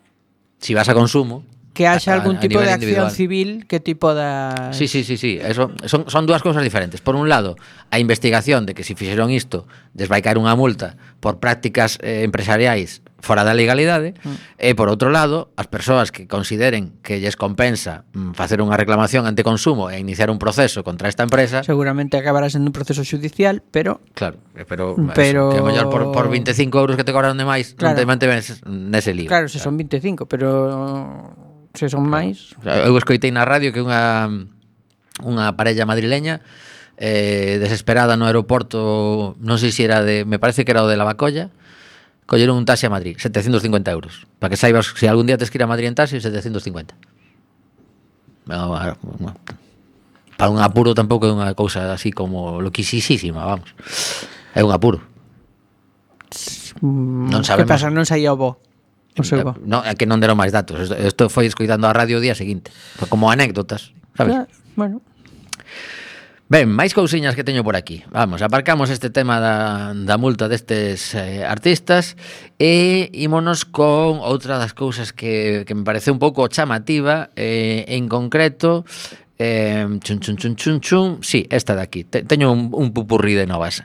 si vas a consumo que haxa a, algún a tipo de acción individual. civil que tipo da... Sí, sí, sí, sí. Eso, son, son dúas cousas diferentes. Por un lado, a investigación de que se fixeron isto, des vai caer unha multa por prácticas eh, empresariais fora da legalidade, mm. e por outro lado, as persoas que consideren que lles compensa mm, facer unha reclamación ante consumo e iniciar un proceso contra esta empresa, seguramente acabará sendo un proceso judicial, pero claro, pero, pero... Eso, que a mellor por, por veinticinco euros que te cobraron de máis, claro. non te mantenes nese lío. Claro, se son veinticinco, pero se son máis... Eu escoitei na radio que unha unha parella madrileña eh, desesperada no aeroporto, non sei se era de, me parece que era o de Lavacolla, colleron un taxi a Madrid, setecientos cincuenta euros. Para que saibas, se algún día tes que ir a Madrid en taxi, setecientos cincuenta. Para un apuro tampouco é unha cousa así como loquisísima, vamos. É un apuro. Non sabemos. Que pasa, non saía o bo. O seu bo. No, é que non deron máis datos. Isto foi escoitando a radio o día seguinte. Foi como anécdotas, sabes? Ah, bueno. Ben, máis cousiñas que teño por aquí. Vamos, aparcamos este tema da, da multa destes eh, artistas e ímonos con outra das cousas que, que me parece un pouco chamativa, eh, en concreto, eh, chun, chun, chun, chun, chun, sí, esta de aquí. Te, teño un, un pupurrí de novas.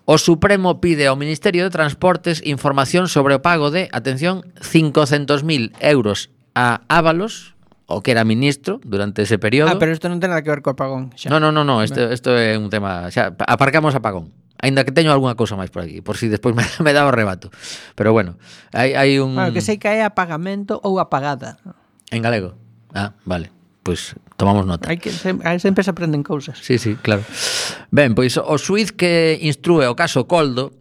O Supremo pide ao Ministerio de Transportes información sobre o pago de, atención, cincocentos mil euros a Ábalos, o que era ministro durante ese período. Ah, pero isto non ten nada que ver co apagón. Xa. No, no, no, no, isto, isto é un tema, xa, aparcamos apagón. Aínda que teño algunha cousa máis por aquí, por si despois me, me dá o rebato. Pero bueno, hai, hai un... Bueno, que sei que é apagamento ou apagada. En galego? Ah, vale, pois pues, tomamos nota. Hai que sempre se aprenden cousas. Sí, sí, claro. Ben, pois o xuíz que instrúe o caso Coldo,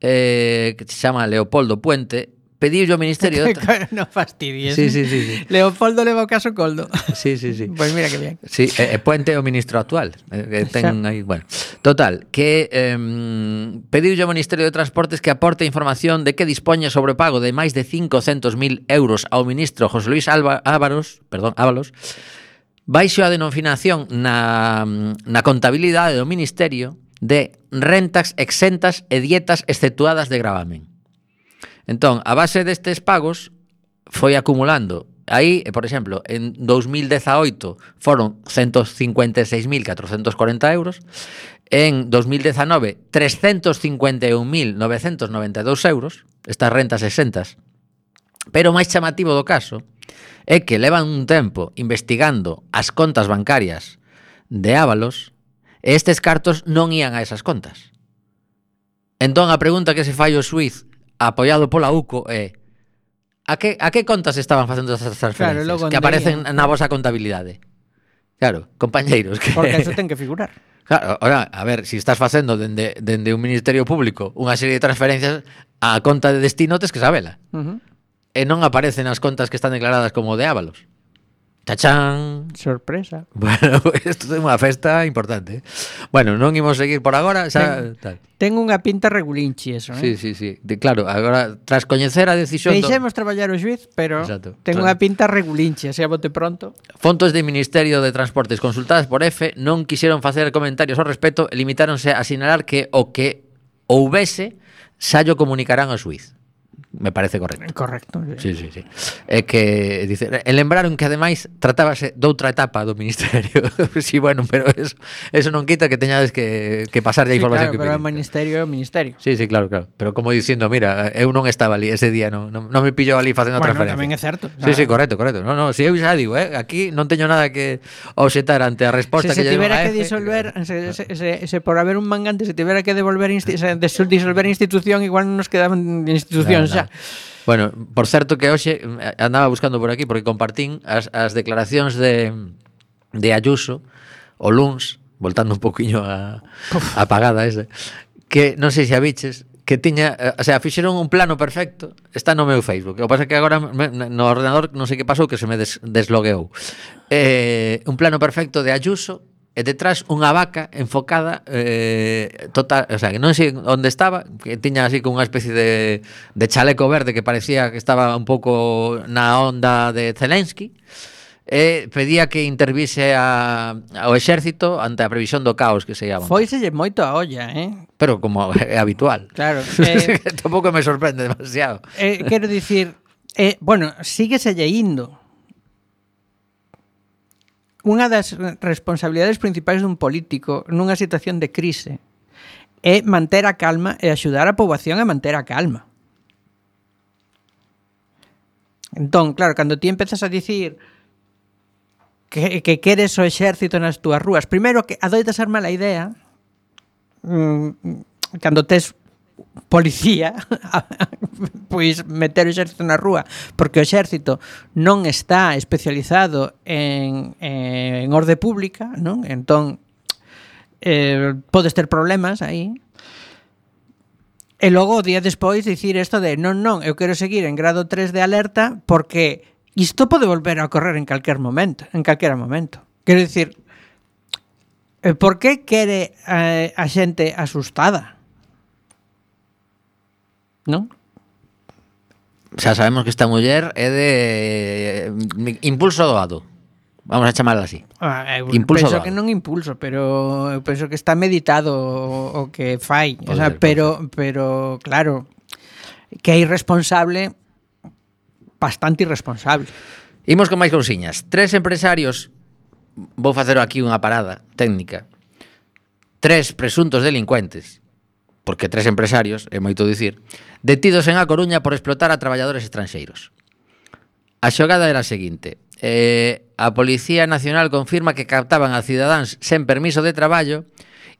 eh, que se chama Leopoldo Puente, pediu ao Ministerio de... No fastidies. Sí, sí, sí, sí. Leopoldo leva o caso Coldo. Sí, sí, sí. Pois pues mira que bien. Sí, e, e Puente é o ministro actual. Que ten aí, bueno. Total, que eh, pediu ao Ministerio de Transportes que aporte información de que dispoña sobre o pago de máis de cincocentos mil euros ao ministro José Luis Alba, Ábalos, perdón, Ábalos, baixo a denominación na, na contabilidade do Ministerio de rentas exentas e dietas exceptuadas de gravamen. Entón, a base destes pagos foi acumulando. Aí, por exemplo, en dos mil dezaoito foron ciento cincuenta e seis mil catrocentos cuarenta euros, en dos mil dezanove trescentos cincuenta e un mil novecentos noventa e dous euros, estas rentas exentas. Pero o máis chamativo do caso é que levan un tempo investigando as contas bancarias de Ábalos e estes cartos non ían a esas contas. Entón, a pregunta que se fai o xuíz apoiado pola U C O é a que, a que contas estaban facendo esas transferencias, claro, que aparecen na vosa contabilidade. Claro, compañeiros que... Porque eso ten que figurar. Claro, ora, a ver, se si estás facendo dende, dende un ministerio público unha serie de transferencias a conta de destino tes que sabela. Uh -huh. E non aparecen as contas que están declaradas como de Ábalos. Tachán. Sorpresa. Bueno, isto é unha festa importante. Bueno, non imos seguir por agora, xa ten, tal. Ten unha pinta regulinchi eso, Sí, eh? sí, sí. De, claro, agora tras coñecer a decisión Deixemos do... traballar o xuiz, pero Exacto. ten Tra... unha pinta regulinchi, así a bote pronto. Fontes do Ministerio de Transportes consultadas por F non quixeron facer comentarios ao respecto e limitáronse a sinalar que o que houbese xa llo comunicarán ao xuiz. me parece correcto. Correcto. Sí, sí, sí. É que dice, e lembraron que ademais tratábase doutra etapa do ministerio. Sí, bueno, pero eso, eso non quita que teñades que, que pasar a Sí, información claro, que pero o pediste. ministerio é o ministerio. Sí, sí, claro, claro. Pero como dicindo, mira, eu non estaba ali ese día, non, non, non me pillou ali facendo Bueno, transferencia. tamén é certo. Sí, sí, correcto, correcto. No, no, si eu xa digo, eh, aquí non teño nada que obxetar ante a resposta Se se que lle deu tivera a que F, disolver, se, se, se, se por haber un mangante, se tivera que devolver insti se disolver institución, igual non nos quedaban institucións xa. Bueno, por certo que hoxe andaba buscando por aquí porque compartín as, as declaracións de, de Ayuso o luns, voltando un poquinho a, a pagada ese, que non sei se a biches, que tiña, o sea, fixeron un plano perfecto, está no meu Facebook. O que pasa é que agora me, no ordenador non sei que pasou que se me des, deslogueou. Eh, un plano perfecto de Ayuso e detrás unha vaca enfocada eh, total, o sea, que non sei onde estaba, que tiña así con unha especie de, de chaleco verde que parecía que estaba un pouco na onda de Zelensky, e pedía que intervise a, ao exército ante a previsión do caos que se llama. Foiselle moito a olla, eh? Pero como é habitual. Claro. Eh, Tampouco me sorprende demasiado. eh, quero dicir, eh, bueno, sígueselle indo. Unha das responsabilidades principais dun político nunha situación de crise é manter a calma e axudar a poboación a manter a calma. Entón, claro, cando ti empezas a dicir que, que queres o exército nas túas rúas, primeiro que adoita ser mala idea mmm, cando tes policía pois meter o exército na rúa, porque o exército non está especializado en, en orde pública, non? Entón eh, podes ter problemas aí. E logo o día despois dicir isto de non, non, eu quero seguir en grado tres de alerta porque isto pode volver a ocorrer en calquer momento, en calquera momento. Quero dicir, por que quere eh, a xente asustada? Non? Xa sabemos que esta muller é de eh, impulso doado. Vamos a chamarla así. Ah, eu Impulso penso doado. que non impulso, pero eu penso que está meditado o, o que fai, o Pode sea, ser, pero pero claro, que é irresponsable, bastante irresponsable. Imos con máis cousiñas. Tres empresarios, vou facer aquí unha parada técnica. Tres presuntos delincuentes, porque tres empresarios, é moito dicir, detidos en A Coruña por explotar a traballadores estranxeiros. A xogada era a seguinte: eh, a Policía Nacional confirma que captaban a cidadáns sen permiso de traballo,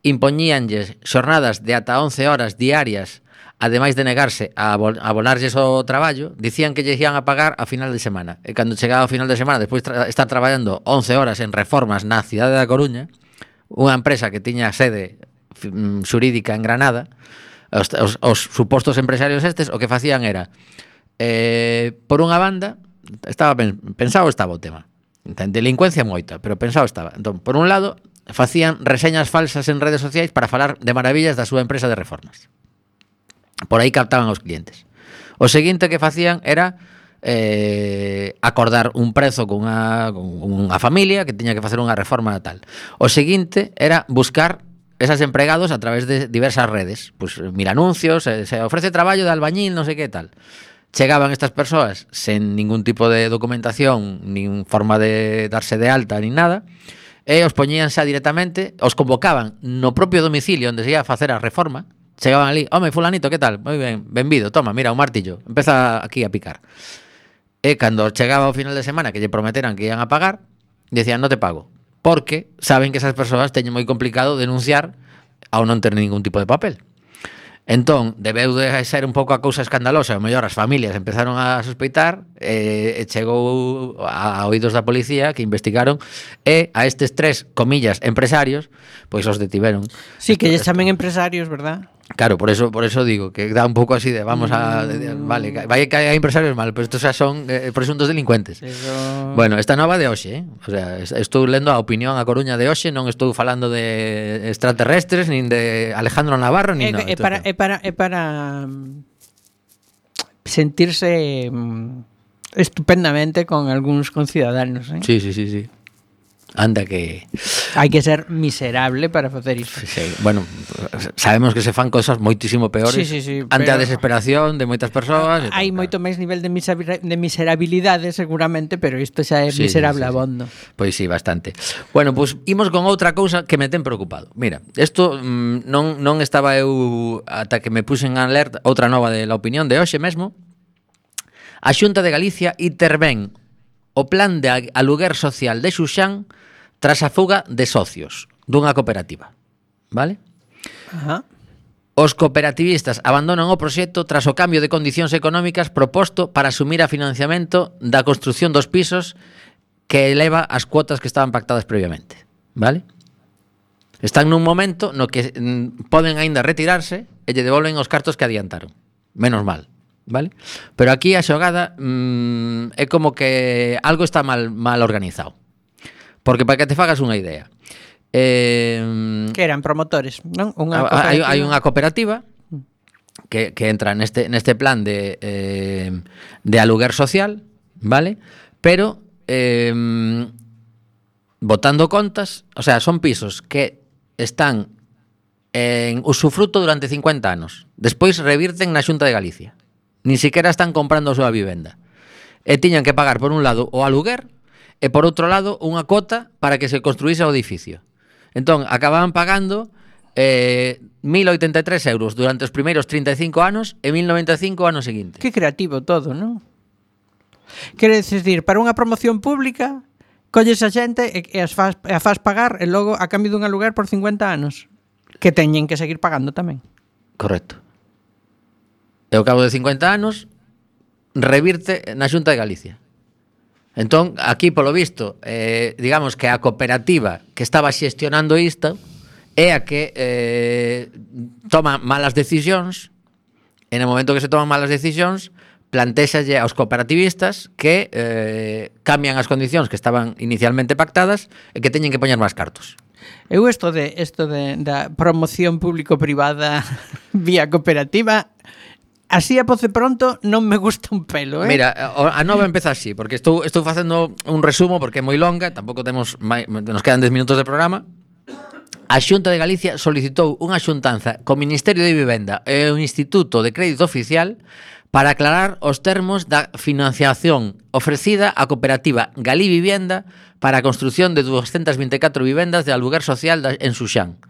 impoñíanlles xornadas de ata once horas diarias, ademais de negarse a abonarlles o traballo, dicían que lles ian a pagar a final de semana. E cando chegaba ao final de semana, despois de estar traballando once horas en reformas na cidade da Coruña, unha empresa que tiña sede xurídica en Granada, os, os, os supostos empresarios estes o que facían era eh, por unha banda estaba pensado estaba o tema, delincuencia moita, pero pensado estaba. Entón, por un lado, facían reseñas falsas en redes sociais para falar de maravillas da súa empresa de reformas. Por aí captaban aos clientes. O seguinte que facían era eh, acordar un prezo con unha, con unha familia que tiña que facer unha reforma tal. O seguinte era buscar esas empregados a través de diversas redes, pues mil anuncios, se, se ofrece traballo de albañil, non sei que tal. Chegaban estas persoas sen ningún tipo de documentación, nin forma de darse de alta, nin nada, e os poñíanse directamente, os convocaban no propio domicilio onde se ia a facer a reforma. Chegaban ali, home, fulanito, que tal? Moi ben, benvido, toma, mira, un martillo, empeza aquí a picar. E cando chegaba o final de semana que lle prometeran que ian a pagar, decían, non te pago, porque saben que esas persoas teñen moi complicado denunciar ao non ter ningún tipo de papel. Entón, debeu de ser un pouco a cousa escandalosa, o mellor as familias empezaron a sospeitar, e, e chegou a oídos da policía que investigaron, e a estes tres, comillas, empresarios, pois os detiveron. Sí, que lle chamen empresarios, verdad? Claro, por eso por eso digo que dá un pouco así de vamos a de, de, vale, vai que hai empresarios mal, pero estos xa son eh, presuntos delincuentes. Eso... Bueno, esta nova de hoxe, eh? O sea, estou lendo a opinión a Coruña de hoxe, non estou falando de extraterrestres nin de Alejandro Navarro nin É, no, é para é para é para sentirse mm, estupendamente con algúns conciudadanos, eh? Sí, sí, sí, sí. Anda que... Hai que ser miserable para facer isto. Sí, bueno, sabemos que se fan cosas moitísimo peores Sí, sí, sí, ante a pero- desesperación de moitas persoas. e tal, Hai claro. moito máis nivel de, misera- de miserabilidade seguramente, pero isto xa é Sí, miserable sí, sí, sí. abondo. Pois sí, bastante. Bueno, pois pues, imos con outra cousa que me ten preocupado. Mira, isto mm, non, non estaba eu ata que me puxen a ler outra nova de La Opinión de hoxe mesmo. A Xunta de Galicia intervén o plan de aluguer social de Xuxán tras a fuga de socios dunha cooperativa. Vale? Ajá. Os cooperativistas abandonan o proxecto tras o cambio de condicións económicas proposto para asumir a financiamento da construción dos pisos que eleva as cuotas que estaban pactadas previamente. Vale? Están nun momento no que mm, poden aínda retirarse e lle devolven os cartos que adiantaron. Menos mal. Vale? Pero aquí a xogada mm, é como que algo está mal, mal organizado. Porque para que te fagas unha idea, eh, Que eran promotores, non? Unha Ah, hai, cooperativa. hai unha cooperativa que, que entra neste, neste plan de, eh, de aluguer social, vale? Pero eh, botando contas, o sea, son pisos que están en usufruto durante cincuenta anos. Despois revirten na Xunta de Galicia. Ni siquiera están comprando a súa vivenda. E tiñan que pagar por un lado o aluguer e por outro lado unha cota para que se construíse o edificio. Entón, acababan pagando eh, mil oitenta e tres euros durante os primeiros trinta e cinco anos e mil noventa e cinco anos seguintes. Que creativo todo, non? Quere decir, para unha promoción pública colles a xente e, e as faz, e a faz pagar e logo a cambio dun aluguer por cincuenta anos que teñen que seguir pagando tamén. Correcto. E ao cabo de cincuenta anos revirte na Xunta de Galicia. Entón, aquí, polo visto, eh, digamos que a cooperativa que estaba xestionando isto é a que eh, toma malas decisións e no momento que se toman malas decisións plantéxalle aos cooperativistas que eh, cambian as condicións que estaban inicialmente pactadas e que teñen que poñer máis cartos. Eu isto de isto de da promoción público-privada vía cooperativa, así a poce pronto non me gusta un pelo, eh? Mira, a nova empeza así, porque estou estou facendo un resumo porque é moi longa, tampouco temos mai, nos quedan dez minutos de programa. A Xunta de Galicia solicitou unha xuntanza co Ministerio de Vivenda e o Instituto de Crédito Oficial para aclarar os termos da financiación ofrecida á cooperativa Galí Vivienda para a construción de doscientas vinte e catro vivendas de aluguer social en Xuxán,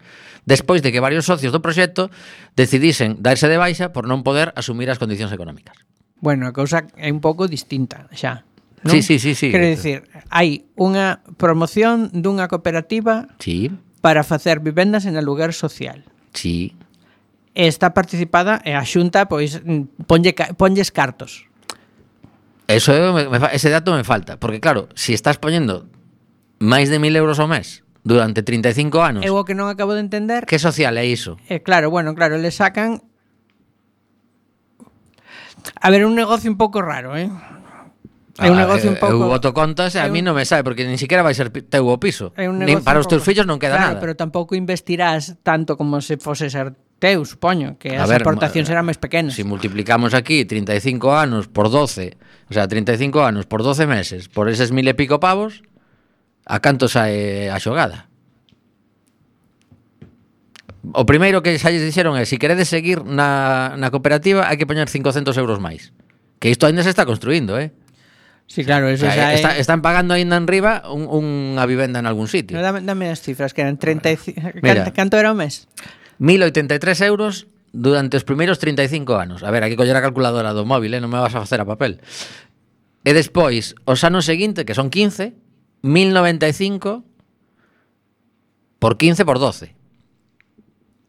despois de que varios socios do proxecto decidisen darse de baixa por non poder asumir as condicións económicas. Bueno, a cousa é un pouco distinta xa, non? Sí, sí, sí, sí. Quero dicir, hai unha promoción dunha cooperativa Sí, para facer vivendas en aluguer social. sí. E está participada e a Xunta pois mm, ponlle, ca- ponlles cartos. Eso me, me, fa- ese dato me falta, porque claro, si estás poñendo máis de mil euros ao mes durante trinta e cinco anos, Eu o que non acabo de entender que social é iso? é claro, bueno, claro, le sacan a ver, un negocio un pouco raro, eh? É un Ah, negocio un eu- pouco Eu voto contas e a é mí un- non me sabe, porque nin siquiera vai ser pi- teu o piso. É un Nin negocio para un os teus pouco- fillos non queda claro, nada. pero tampouco investirás tanto como se fose ser teu, supoño, que A as ver, aportacións ma- serán máis pequenas. Si multiplicamos aquí trinta e cinco anos por doce, o sea, trinta e cinco anos por doce meses, por eses mil e pico pavos, a canto sae a xogada? O primeiro que xa lles dixeron é, se si queredes seguir na, na cooperativa, hai que poñer cincocentos euros máis. Que isto ainda se está construindo, eh? Sí, claro, O eso sea, xa é... está, están pagando ainda en riba un, unha vivenda en algún sitio. No, dame, dame as cifras, que eran treinta e cinco... Mira. Canto, canto era o mes? mil oitenta e tres euros durante os primeiros trinta e cinco anos. A ver, hai que coller a calculadora do móvil, eh? Non me vas a facer a papel. E despois, os anos seguintes, que son quince, mil noventa e cinco por quince por doce.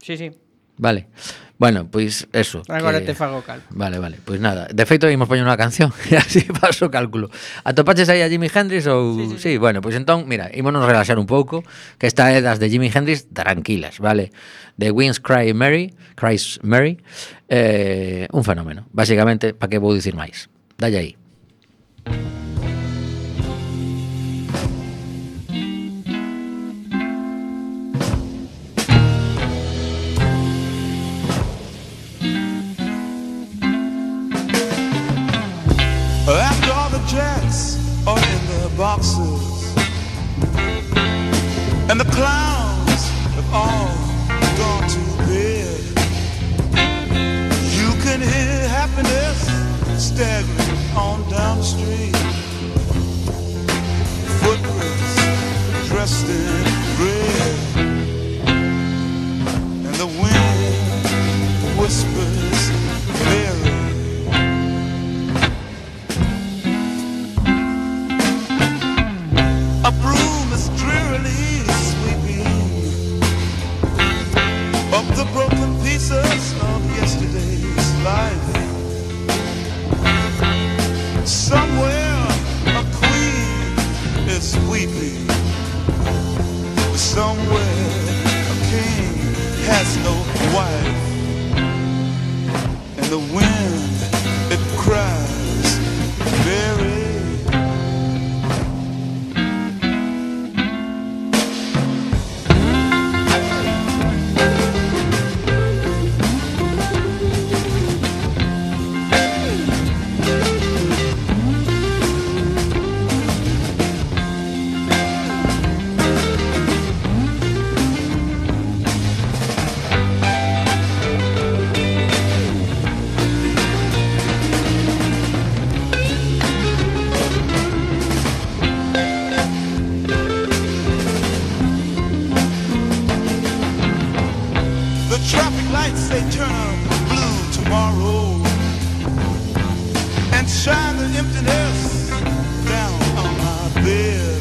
Sí, sí. Vale. Bueno, pois eso. Agora que... te fago cal. Vale, vale, pois nada. De feito, imos poñer unha canción e así paso o cálculo. Atopaches aí a Jimi Hendrix ou... Sí, sí, sí. sí, bueno, pois entón, mira, ímonos relaxar un pouco, que esta é das de Jimi Hendrix tranquilas, vale? The Winds Cry Mary, Cries Mary, eh, un fenómeno. Básicamente, para que vou dicir máis? Dalle aí. After all the jets are in their boxes, and the clowns have all gone to bed. You can hear happiness staggering on down the street. Footprints dressed in red, and the wind whispers Mary. A broom is drearily sweeping up the broken pieces of yesterday's life. Somewhere a queen is weeping. Somewhere a king has no wife. And the wind, it cries, Mary. Traffic lights, they turn blue tomorrow and shine the emptiness down on my bed.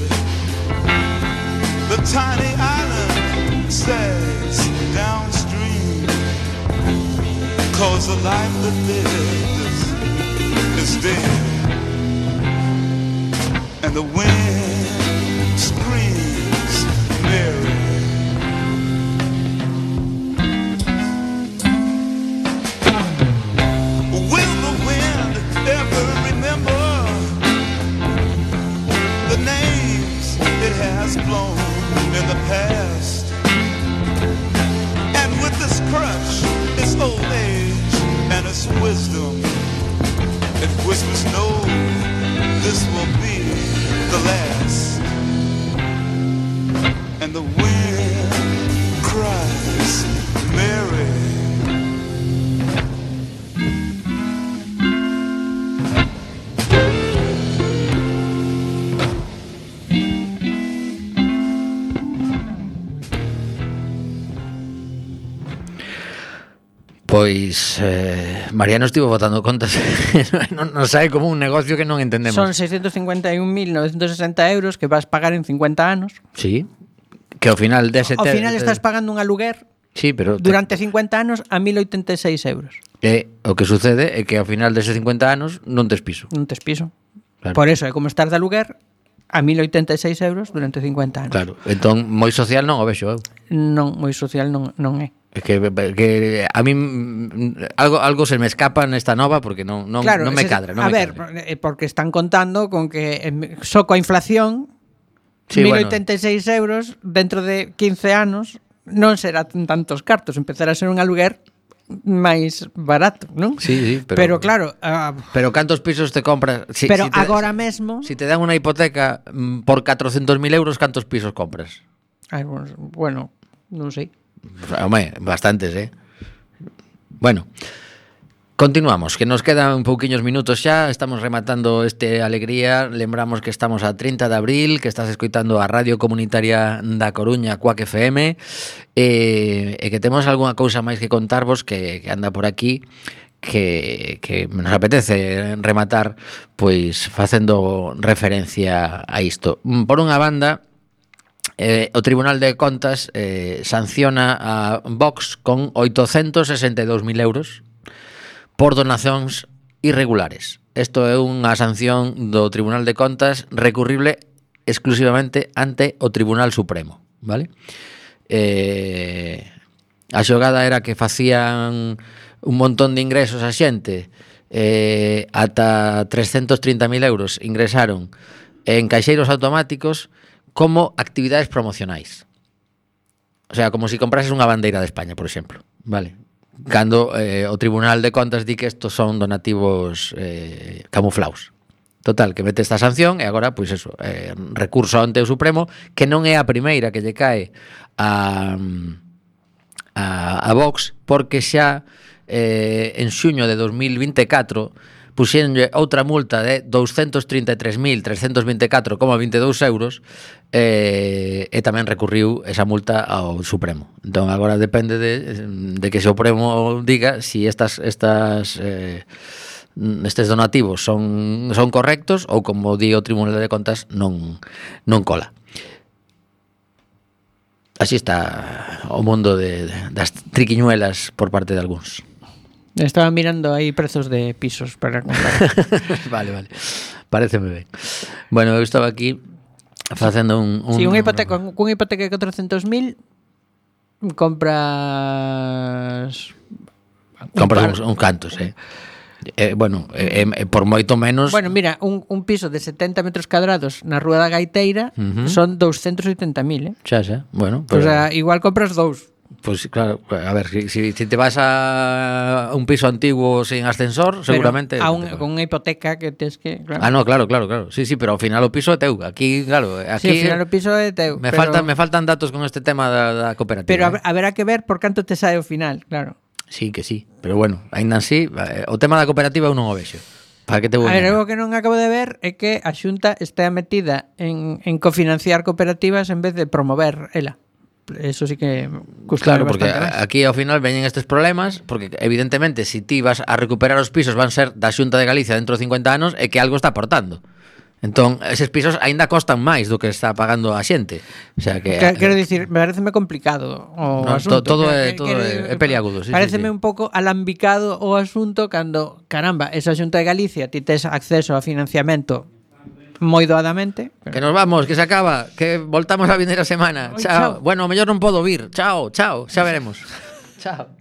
The tiny island sags downstream, cause the life that lives is dead. And the wind screams Mary. Has blown in the past, and with this crutch, its old age and its wisdom, it whispers, no, this will be the last. And the wind cries, Mary. Pois eh, Mariano estivo botando contas. non, non sabe como un negocio que non entendemos. Son seiscientos cincuenta y un mil novecientos sesenta euros que vas pagar en cincuenta anos. Sí, que ao final dese Ao final estás pagando un aluguer sí, pero durante cincuenta anos a mil oitenta e seis euros. E o que sucede é que ao final deses cincuenta anos non tes piso. Non tes piso. Claro. Por eso é como estar de aluguer a mil oitenta e seis euros durante cincuenta anos. Claro, entón moi social non o vexo eu. Non, moi social non, non é. É que, que a mí algo algo se me escapa nesta nova porque non non, claro, non me se, cadra, non a me ver, cadra. porque están contando con que eh, só coa inflación sí, mil bueno. oitenta e seis euros dentro de quince anos non será tantos cartos, empezará a ser un aluguer máis barato, non? Sí, sí, pero, pero claro, uh, pero cantos pisos te compras? Si, pero si te, agora mesmo, si te dan unha hipoteca mm, por catrocentos mil euros, cantos pisos compras? Ay, bueno, non sei. Home, bastantes, eh? Bueno, continuamos, que nos quedan un pouquiños minutos xa. Estamos rematando este Alegría. Lembramos que estamos a trinta de abril, que estás escoitando a Radio Comunitaria da Coruña, Quack F M, e, e que temos algunha cousa máis que contarvos que, que anda por aquí, que, que nos apetece rematar pois facendo referencia a isto. Por unha banda, Eh, o Tribunal de Contas eh, sanciona a Vox con oitocentos sesenta e dous mil euros por donacións irregulares. Isto é unha sanción do Tribunal de Contas recurrible exclusivamente ante o Tribunal Supremo, vale? Eh, a xogada era que facían un montón de ingresos a xente, eh, ata trescentos trinta mil euros ingresaron en caixeiros automáticos como actividades promocionais. O sea, como si comprases unha bandeira de España, por exemplo, vale? Cando eh, o Tribunal de Contas di que estos son donativos eh, camuflaos. Total, que mete esta sanción e agora, pois eso, eh, recurso ante o Supremo, que non é a primeira que lle cae a, a, a Vox, porque xa eh, en xuño de dos mil vinte e catro puxéronlle outra multa de douscentos trinta e tres mil trescentos vinte e catro coma vinte e dous euros eh, e tamén recurriu esa multa ao Supremo. Entón agora depende de, de que o Supremo diga si estas estas eh, estes donativos son son correctos ou, como di o Tribunal de Contas, non non cola. Así está o mundo de, de, das triquiñuelas por parte de algúns. Estaba mirando aí prezos de pisos para comprar. Vale, vale. Paréceme ben. Bueno, eu estaba aquí facendo un... un Si, sí, unha hipoteca, cunha hipoteca de catro mil compras... Compras uns un cantos, eh. Eh, bueno, eh, eh, por moito menos. Bueno, mira, un, un piso de setenta metros cuadrados na Rúa da Gaiteira uh-huh. son doscientos oitenta mil, eh? Xa, xa, bueno. Pero... O sea, igual compras dous. Pues claro, a ver, si, si, si te vas a un piso antiguo sin ascensor, pero seguramente... A un, con unha hipoteca que tes que... Claro. Ah, no, claro, claro, claro. Sí, sí, pero ao final o piso é teu. Aquí, claro, aquí... Sí, ao final o piso é teu. Me, pero... faltan, me faltan datos con este tema da, da cooperativa. Pero eh? haberá que ver por canto te sae ao final, claro. Sí, que sí, pero bueno, aínda así, o tema da cooperativa eu non o vexo. Para que te vou a ver, o que non acabo de ver é que a Xunta está metida en, en cofinanciar cooperativas en vez de promover ela. Eso sí que custa. Claro, porque más. Aquí ao final veñen estes problemas, porque evidentemente se si ti vas a recuperar os pisos van ser da Xunta de Galicia dentro de cincuenta anos e que algo está aportando. Entón, eses pisos aínda costan máis do que está pagando a xente. O sea que quero dicir, me pareceme complicado o no, asunto. Todo que, é todo que, é peliagudo, sí, pareceme sí, sí. un pouco alambicado o asunto cando, caramba, esa Xunta de Galicia ti tes acceso a financiamento moi doadamente. Pero... Que nos vamos, que se acaba, que voltamos a vindeira semana. Oi, chao. chao. Bueno, mellor non podo vir. Chao, chao, xa veremos. Chao.